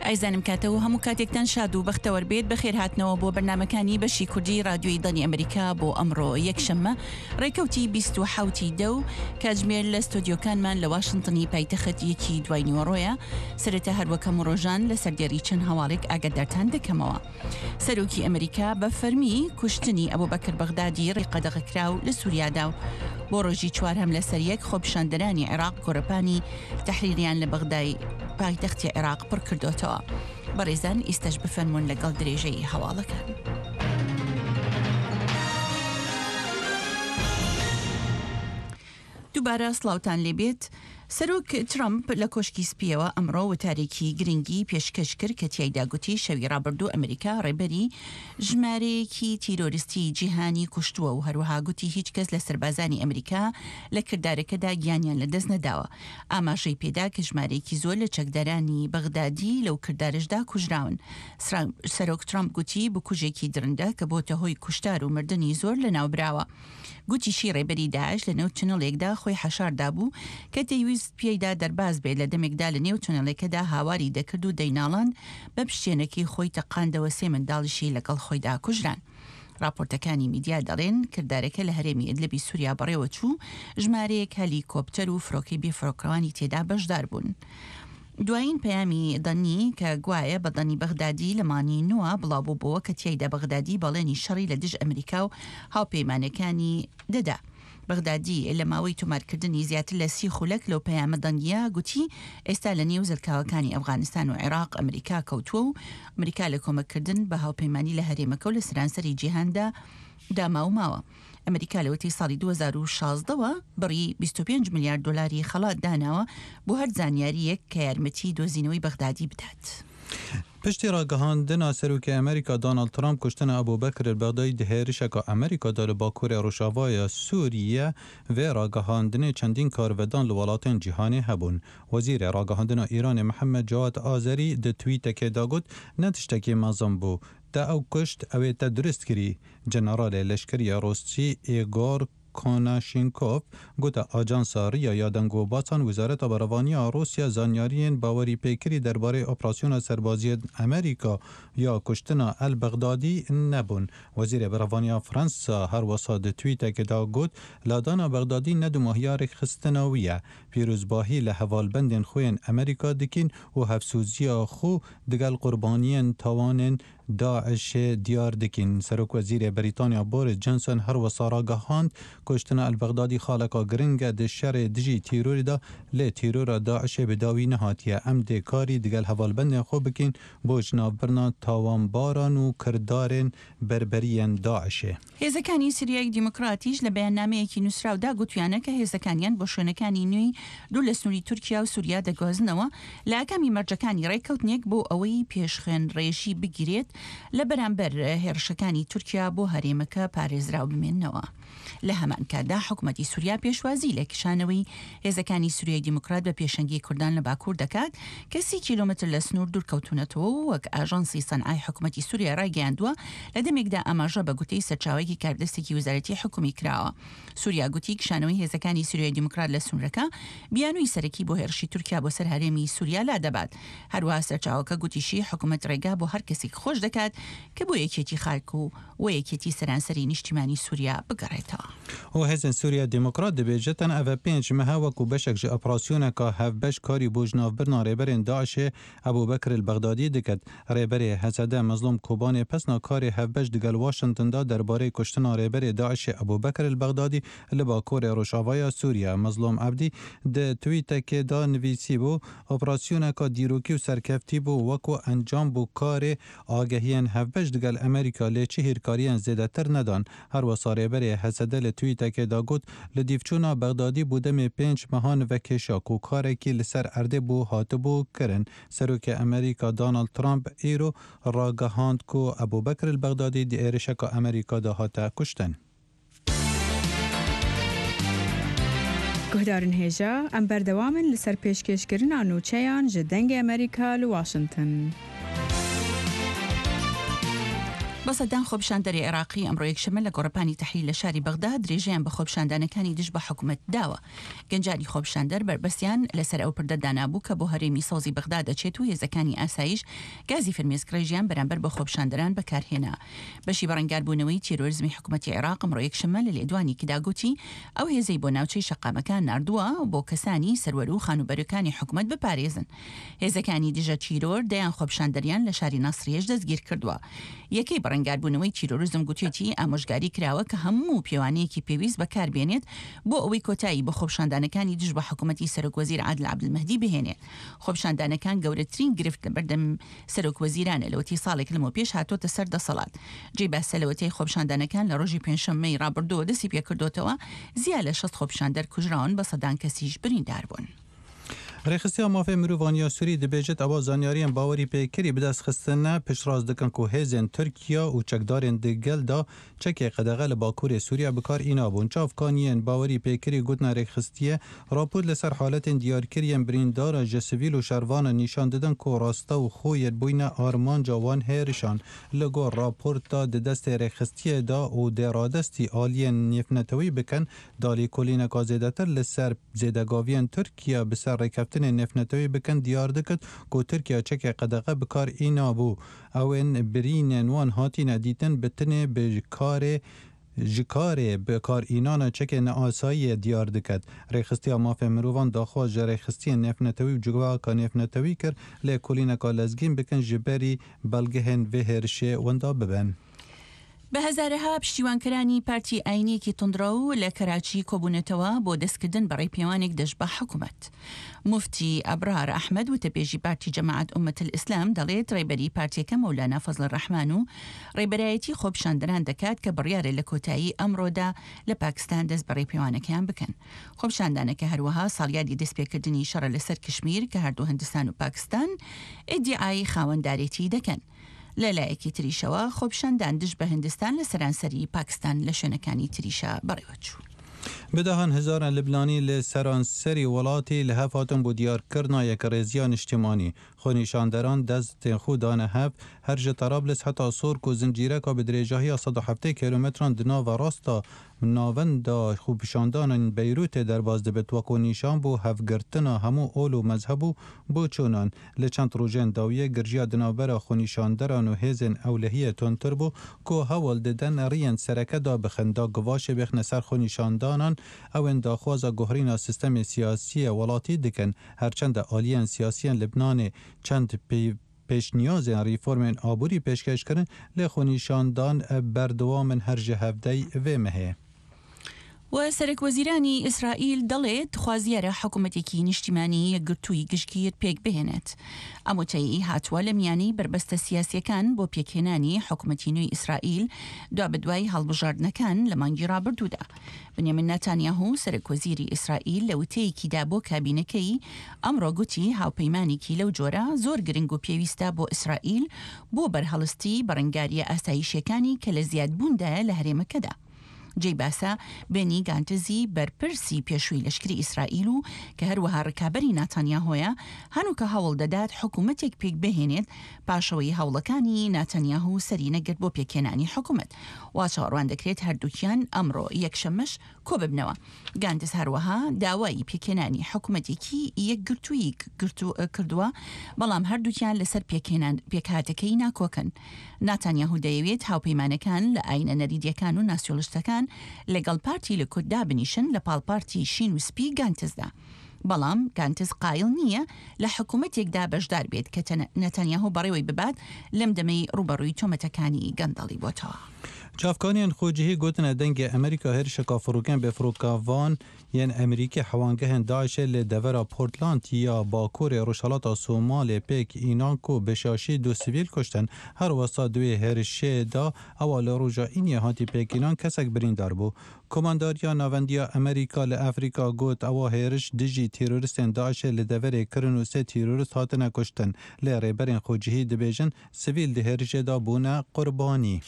ئایزانم کاتە و هەموو کاتێکتان شاد و بەختەوەر بێت بەخێر هاتنەوە بۆ بەرنمەکانی بەشی کوردی رادیۆی دەنگی ئەمریکا بۆ ئەمڕۆ یەکشەممە ڕێکەوتی 27 دە و کاتژمێر لە ستۆدیۆکانمان لە واشنتنی پایتەخت یەکی دوای نیوەڕۆیە سەرەتا هەروەک هەموو ڕۆژان لە سەردێڕی چەند هەواڵێک ئاگادارتان دەکەمەوە. سەرۆکی ئەمریکا بە فەرمی کوشتنی ئەبوبەکر بەغدادی ڕێی قەدەغەکراو لە سوریادا و بۆ ڕۆژی چوارهەم لەسەر یەک خۆپیشاندەرانی عێراق گۆڕەپانی تەحریریان لە بەغدای پایتەختی عێراق پڕ کردۆتەوە. بەڕێزان ئیستەش بفەرموون لەگەڵ درێژەی هەواڵەکان. دووبارە سڵاوتان لێبێت. سەرۆک ترەمپ لە کۆشکی سپییەوە ئەمڕۆ وتارێکی گرنگی پێشکەش کرد کە تیایدا گوتی شەوی ڕابردوو ئەمریکا ڕێبەری ژمارەیەکی تیرۆریستی جیهانی کوشتووە و هەروەها گوتی هیچ کەس لە سەربازانی ئەمریکا لە کردارەکەدا گیانیان لەدەست نەداوە. ئاماژەی پێدا کە ژمارەیەکی زۆر لە چەکدارانی بەغدادی لەو کردارەشدا کوژراون. سەرۆک ترەمپ گوتی بکوژێکی دڕندە کە بۆتە هۆی کوشتار و مردنی زۆر لەناوبراوە. گوتیشی ڕێبەری داعش لە نێو تونێلێکدا خۆی حەشار دابوو کە دەیویست پێیدا دەرباز بێت، لە دەمێکدا لە نێو تونێلەکەدا هاواری دەکرد و دەیناڵاند، بە پشتێنەکەی خۆی تەقاندەوە سێ منداڵیشی لەگەڵ خۆیدا کوژران. ڕاپۆرتەکانی میدیا دەڵێن کردارەکە لە هەرێمی ئیدلبی سوریا بەڕێوەچوو، ژمارەیەک هەلیکۆپتەر و فرۆکەی بێفرۆکەوانی تێدا بەشدار بوون. دوایین پەیامی دەنگی کە گوایە بە دەنگی بەغدادی لە مانگی نۆ بڵاوبووبۆوە کە تیایدا بەغدادی بەڵێنی شەڕی لە دژ ئەمریکا و هاوپەیمانەکانی دەدا. بەغدادی لە ماوەی تۆمارکردنی زیاتر لە سی خولەک لەو پەیامە دەنگییە گوتی ئێستا لە نێو زەلکاوەکانی ئەفغانستان و عێراق ئەمریکا کەوتووە و ئەمریکا لە کۆمەککردن بە هاوپەیمانی لە هەرێمەکە و لە سەرانسەری جیهاندا داماو ماوە. ئەمریکا لەوەتەی ساڵی 2016 وە بڕی 25 ملیار دۆلاری خەڵات داناوە بۆ هەر زانیارییەک کە یارمەتی دۆزینەوەی بەغدادی بدات. پشتی راگەهاندنا سەرۆکی ئەمریکا دۆناڵد ترامپ کوشتنا ئەبو بەکر ئەلبەغدادی di hêrişeka Amerîka de li bakurê rojavaya Sûriye vê ragihandinê çendîn karvedan li welatên cîhanê hebûn. Wezîrê Ragihandina Îranê Mihemed Cewad Azerî di twîtekê de got, Ne tiştekî mezin bû. Te ew kuşt, ew ê te dirust kirî. Generalê leşkerî Rûsî Îgor Konaşînkov gote ajansa RIA ya dengûbasan Wezareta Berevaniya Rûsya zanyariyên bawerîpêkirî derbarê operasyona serbaziyên Amerîka ya kuştina El Bexdadî nebûn. Wezîrê Berevaniya Fransa her wisa di twîtekê de got, Ladana Bexdadî ne dumahiya rêkxistina wî ye. Pîrozbahî li hevalbendên xwe yên Amerîka dikîn û hevsoziya xwe digel qurbaniyên tawanên DAIŞ'ê diyar dikîn. Serokwezîrê Brîtanya Boris Johnson her wisa ragihand, Kuştina El Bexdadî xaleka giring e di şerê dijî tîrorê de lê tîrora DAIŞ'ê bi dawî nehatiye. Em dê karî digel hevalbendên xwe bikîn bo jinavbirina tawanbaran û kirdarên berberiyên DAIŞ'ê. هێزەکانی سریای دیموکراتیش لە بەیاننامەیەکی نووسراودا گوتویانە کە هێزەکانیان بۆ شوێنەکانی نوێی دوور لە سنووری تورکیا و سوریا دەگوازنەوە لە ئاکامی مەرجەکانی ڕێککەوتنێک بۆ ئەوەی پێش خوێنڕێژی بگیرێت لە بەرامبەر هێڕشەکانی تورکیا بۆ هەرێمەکە پارێزراو بمێننەوە. لە هەمان کاتدا حکومەتی سوریا پێشوازی لە کشانەوەی هێزەکانی سوریای دیموکرات بە پێشەنگی کوردان لە باکوور دەکات کە سی کیلۆمەتر لە سنوور دوورکەوتوونەتەوە و وەک ئاژانسی سەنعای حکومەتی سوریا رایگەیاندووە لە دەمێکدا ئاماژە بە گوتەی سەرچاوەیەکی کاربەدەستێکی وەزارەتی حکومی کراوە سوریا گوتی کشانەوەی هێزەکانی سوریای دیموکرات لە سنوورەکە بیانووی سەرەکی بۆ هێرشی تورکیا بۆ سەر هەرێمی سوریا لادەبات هەروەها سەرچاوەکە گوتیشی حکومەت رێگا بۆ هەر کەسێک خۆش دەکات کە بۆ یەکێتی خاک و و یەکێتی سەرانسەری نیشتیمانی سوریا بگەڕێتەوە. و هێزên Sûriya Demokrat dibêjin ev e pênc meh e wekû beşek ji operasyoneka hevbeş karî bo jinavbirina rêberên DAIŞ'ê Ebû Bekir El Bexdadî diket. Rêberê HSD Mezlûm Kobanê pesna karê hevbeş digel Washington da derbarê kuştina rêberê DAIŞ'ê Ebû Bekir El Bexdadî li bakurê rojavaya Sûriye. Mezlûm Ebdî di twîtekê de nivîsîbû, Operasyoneka dîrokî û serkeftî bû wekû encam bû karê Agehiyên hevbeş digel Amerîka lê çi hîrkariyên zêdetir nedan. Her wisa rêberê HSD li twîtekê de got, Li dîvçûna Bexdadî bû demê pênc mehan vekêşa ku karekî li ser erdê bû hatibû kirin. Serokê Amerîka Donald Trump îro ragihand ku Ebû Bekir el Bexdadî di êrişeka Amerîka de hate kuştin. Guhdarên hêja, em berdewam in li ser pêşkêşkirina nûçeyan ji Dengê Amerîka li Washington. بە سەدان خۆپیشاندەری عێراقی ئەمڕۆ یەکشەممە لە گۆڕەپانی تەحریر لە شاری بەغدا درێژەیان بە خۆپیشاندانەکانی دژ بە حکومەت داوە. گەنجانی خۆپیشاندەر بەربەستیان لەسەر ئەو پردە دانابوو کە بۆ هەرێمی سەوزی بەغدا دەچێت و هێزەکانی ئاسایش گازی فرمێسکڕێژیان بەرامبەر بە خۆپیشاندەران بەکارهێنا. بەشی بەڕەنگاربوونەوەی تیرۆرزمی حکومەتی عێراق ئەمڕۆ یەکشەممە لە لێدوانیکدا گوتی ئەو هێزەی بۆ ناوچەی شەقامەکان ناردووە بۆ کەسانی سەروەر و خانووبەرەکانی حکومەت بپارێزن. هێزەکانی دژە تیرۆر دەیان خۆپیشاندەریان لە شاری ناسریەش دەستگیرکردووە. یەکەی بەڕەنگاربوونەوەی تیرۆرزم گوتیەتی ئامۆژگاری کراوە کە هەموو پێوانەیەکی پێویست بەکاربێنێت بۆ ئەوەی کۆتایی بە خۆپیشاندانەکانی دژ بە حکومەتی سەرۆکوەزیر عادل عەبدولمەهدی بهێنێت. خۆپیشاندانەکان گەورەترین گرفت لەبەردەم سەرۆک وەزیرانە لەوەتەی ساڵێک لەمەوپێش هاتۆتە سەر دەسەڵات. جێی باسە لەوەتەی خۆپیشاندانەکان لە ڕۆژی پێنجشەممەی ڕابردووەوە دەستی پێکردۆتەوە زیا لە 60 خۆپیشاندەر کوژراون بە سەدان کەسیش بریندار بوون. رێکخستیا مافێ مروڤان یا سوری دبێژێت ئەوە زانیاریەن باوەری پێکری بدەست خستنە پشتڕاست دکەن کو هێزێن تورکیا و چەکدارێن دگەل دا چەکێ قەدەغە لە باکورێ سوریا بکار ئینابوون. چاڤکانیێن باوەری پێکری گوتنە رێکخستیە راپۆرت لە سەر حالەتێن دیارکریێن بریندارا ژە سڤیل و شەرڤانە نیشان ددن کو راستە و خۆیەت بوینە ئارمانجا وان هێرشان. لە گۆر راپۆرتا د دەستێ رێکخستیە دا و دێ رادەستی ئالیێن نێفنەتەوی بکەن دا لێکۆلینەکا زێدەتر لە سەر زێدەگاڤیێن تورکیا bi ser rêkeftinên nêvnetewî bikin diyar dikit ku Tirkiye çekê qedexe bi kar înabû. Ew ên birînên wan hatîne dîtin bi tinê bi karê ji karê bi karînana çekê neasayiyê diyar diket. Rêxistiya Mafên Mirovan daxwaz ji rêxistiyên nêvnetewî û civaka nêvnetewî kir lêkolîneka lezgîn bikin ji berî belgehên vê hêrişê winda bibin. بە هەزارەها پشتیوانکەرانی پارتی ئاینییەکی توندڕەو لە کەراچی کۆبوونەتەوە بۆ دەستکردن بە ڕێپێوانێک دژ بە حکومەت. موفتی ئەبرار ئەحمەد وتەبێژی پارتی جەماعەت ئوممەتولئیسلام دەڵێت ڕێبەری پارتیەکە مەولانا فەزڵەڕەحمان و ڕێبەرایەتی خۆپیشاندەران دەکات کە بڕیارە لە کۆتایی ئەمڕۆدا لە پاکستان دەست بە ڕێپێوانەکەیان بکەن. خۆپیشاندانەکە هەروەها ساڵیادی دەستپێکردنی شەڕە لەسەر کشمیر کە هەردوو هندستان و پاکستان ئیدیعای خاوەندارێتی دەکەن. لە لایەکی تریشەوە خۆپیشاندان دژ بە هندستان لە سەرانسەری پاکستان لە شوێنەکانی تریشا بەڕێوەچوو. Bi dehan hezaran Libnanî li seranserî welatî li hev hatin bo diyarkirina yekrêziya niştimanî. Xwenîşanderan destên xwe dane hev, her ji Terablis heta Sork û zincîreka bi dirêjahiya 170 kîlometran di nava rasta navenda xwepêşandanên Beyrûtê derbas dibit wekû nîşan bo hevgirtina hemû ol û mezheb û boçûnan. Li çend rojên dawiyê girjiya di navbera xwenîşanderan û hêzên ewlehiyê tundtir bû ku hewl didin riyên sereke dabixin da givaşê bêxine ser xwenîşandanan ew ên daxwaza guherîna sîstemê siyasiyê welatî dikin. Her çend aliyên siyasiyên Libnanê çend pêşniyazên rîformên aborî pêşkêş kirin lê xwenîşandan berdewam in her ji hevdey vê mehê. و سەرەک وەزیرانی ئیسرائیل دەڵێت خوازیارە حکومەتێکی نیشتیمانی یەکگرتووی گشتگیر پێک بهێنێت. ئەم وتەیەی هاتووە لە میانەی بەربەستە سیاسییەکان بۆ پێکهێنانی حکومەتی نوێی ئیسرائیل دوابەدوای هەڵبژاردنەکان لە مانگی ڕابردوودا. بنیامین ناتانیاهو سەرەک وەزیری ئیسرائیل لە وتەیەکیدا بۆ کابینەکەی ئەمڕۆ گوتی هاوپەیمانێکی لەو جۆرە زۆر گرنگ و پێویستە بۆ ئیسرائیل بۆ بەرهەڵستی بەرەنگارییە ئاسایشییەکانی کە لە زیادبووندایە لە هەرێمەکەدا. جێی باسە، بێنی گانتزی بەرپرسی پێشووی لەشکری ئیسرائیل و کە هەروەها ڕکابەری ناتانیاهۆیە، هەنووکە هەوڵ دەدات حکوومەتێک پێکبهێنێت پاشئەوەی هەوڵەکانی ناتانیاهو سەری نەگرت بۆ پێکهێنانی حکوومەت. وا چاوەڕوان دەکرێت هەردووکیان ئەمڕۆ یەکشەممەش کۆببنەوە. گانتز هەروەها داوای پێکهێنانی حکومەتێکی یەکگرتووی کردووە، بەڵام هەردووکیان لەسەر پێکهێنان پێکهاتەکەی ناکۆکن. ناتانیاهو دەیەوێت هاوپەیمانەکان لە ئاینە نەریتییەکان و ناسیۆڵیستەکان لەگەڵ پارتی لیکود دابنیشن لە پاڵ پارتی شین و سپی گانتزدا. بەڵام گانتز قایڵ نییە لە حکومەتێکدا بەشدار بێت کە نەتانیاهۆ بەڕێوەی ببات لەم دەمەی ڕووبەڕووی تۆمەتەکانی گەندەڵی بۆتەوە. چاڤکانیێن خۆجیهی گوتنە دەنگێ ئەمریکا هێرشەکا فڕۆکێن بێفڕۆکەڤان yên ئەمریکی حەوانگehên DAIŞê li devera Portland ya bakurê rojhilata Somalê pêk înan ku bi şaşî du sivîl kuştin. Her wisa di wê hêrişê de ewa li roja Îniyê hatî pêkînan kesek birîndar bû. Komandariya Navendiya Amerîka li Afrîka got ewa hêriş dijî têroristên DAIŞê li deverê kirin û sê têrorist hatine kuştin. Lê rêberên xwecihî dibêjin sivîl di hêrişê de bûne qurbanî.